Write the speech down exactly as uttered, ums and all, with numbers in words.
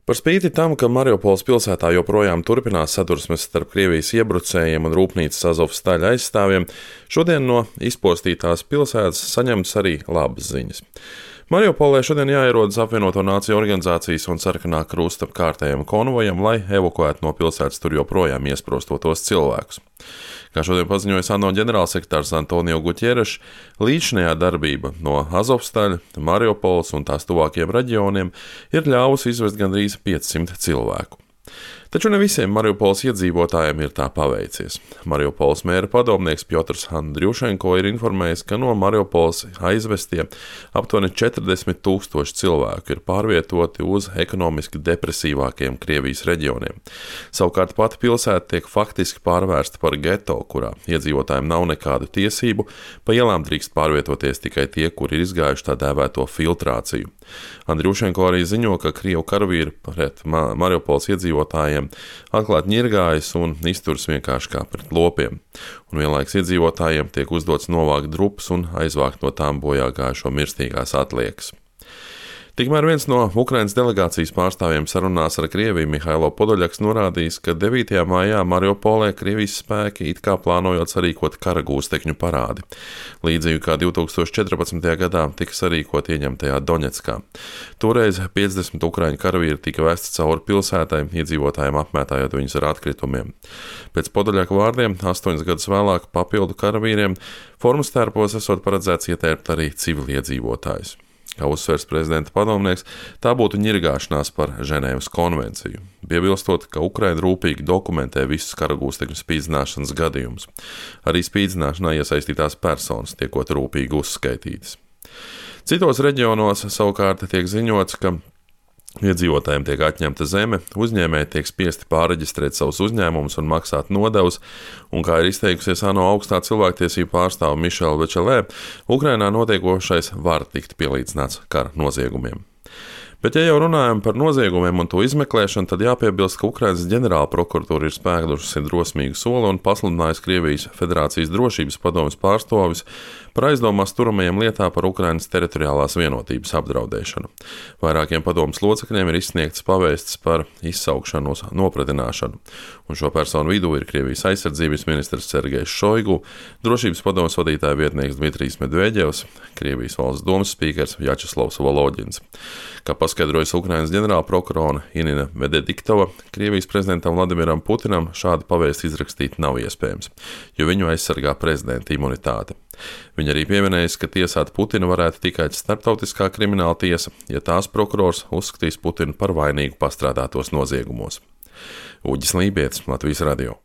Par spīti tam, ka Mariupoles pilsētā joprojām turpinās sadursmes starp Krievijas iebrucējiem un rūpnīcas Azovstaļa aizstāvjiem, šodien no izpostītās pilsētas saņemtas arī labas ziņas. Mariupolē šodien jāierodas apvienoto nāciju organizācijas un Sarkanā krusta kārtējiem konvojam, lai evakuētu no pilsētas tur joprojām iesprostotos cilvēkus. Kā šodien paziņoja ANO ģenerālsekretārs Antonio Guterres, līdzinājā darbība no Azovstaļa, Mariupoles un tās tuvākiem reģioniem ir ļāvusi izvest gandrīz piecsimt cilvēku. Taču ne visiem Mariupoles iedzīvotājiem ir tā paveicies. Mariupoles mēra padomnieks Pjotrs Andriušenko ir informējis, ka no Mariupoles aizvestie aptuveni četrdesmit tūkstoši cilvēku ir pārvietoti uz ekonomiski depresīvākiem Krievijas reģioniem. Savukārt pati pilsēta tiek faktiski pārvērsta par geto, kurā iedzīvotājiem nav nekādu tiesību, pa ielām drīkst pārvietoties tikai tie, kuri ir izgājuši tā dēvēto filtrāciju. Andriušenko arī ziņo, ka Krievu karavīri pret Mariupoles iedzīvotājiem atklāti ņirgājas un izturas vienkārši kā pret lopiem, un vienlaiks iedzīvotājiem tiek uzdots novākt drupas un aizvākt no tām bojā gājušo mirstīgās atliekas. Tikmēr viens no Ukrainas delegācijas pārstāvjiem sarunās ar Krieviju Mihailo Podoļaks norādījis, ka devītajā maijā Mariupolē Krievijas spēki it kā plānojot sarīkot kara gūstekņu parādi, līdzīgi kā divtūkstoš četrpadsmitajā gadā tika sarīkot ieņemtajā Doņetskā. Toreiz piecdesmit ukraiņu karavīri tika vesti cauri pilsētai, iedzīvotājiem apmētājot viņus ar atkritumiem. Pēc Podoļaka vārdiem, astoņus gadus vēlāk papildu karavīriem formas tērpos esot paredzēts ietērpt arī civiliedzīvotājus. Kā uzsvers prezidenta padomnieks, tā būtu ņirgāšanās par Ženēvas konvenciju, piebilstot, ka Ukraina rūpīgi dokumentē visus karagūstekņu spīdzināšanas gadījumus. Arī spīdzināšanā iesaistītās personas tiekot rūpīgi uzskaitītas. Citos reģionos savukārt tiek ziņots, ka iedzīvotājiem tiek atņemta zeme, uzņēmēji tiek spiesti pārreģistrēt savus uzņēmumus un maksāt nodevas, un, kā ir izteikusies ANO augstā cilvēktiesību pārstāve Mišela Večelē, Ukrainā notiekošais var tikt pielīdzināts kara noziegumiem. Bet, ja jau runājam par noziegumiem un to izmeklēšanu, tad jāpiebilst, ka Ukrainas ģenerāla prokuratūra ir spēkusi drosmīgu soli un pasludinājusi Krievijas Federācijas drošības padomes pārstāvis par aizdomās turamajiem lietā par Ukrainas teritoriālās vienotības apdraudēšanu. Vairākiem padomes locekļiem ir izsniegts pavēsts par izsaukšanu uz nopratināšanu, un šo personu vidū ir Krievijas aizsardzības ministrs Sergejs Šoigu, drošības padomes vadītāja vietnieks Dmitrijs Medveģevs, Krievijas valsts domas spīkers Vjačeslavs Volodins. Kā paskaidrojas Ukrainas ģenerāla prokurora Inina Medediktova, Krievijas prezidentam Vladimiram Putinam šādu pavēstu izrakstīt nav iespējams, jo viņu aizsargā prezidenta imunitāte. Viņa arī pieminējas, ka tiesāt Putinu varētu tikai starptautiskā krimināla tiesa, ja tās prokurors uzskatīs Putinu par vainīgu pastrādātos noziegumos. Uģis Lībietis, Latvijas radio.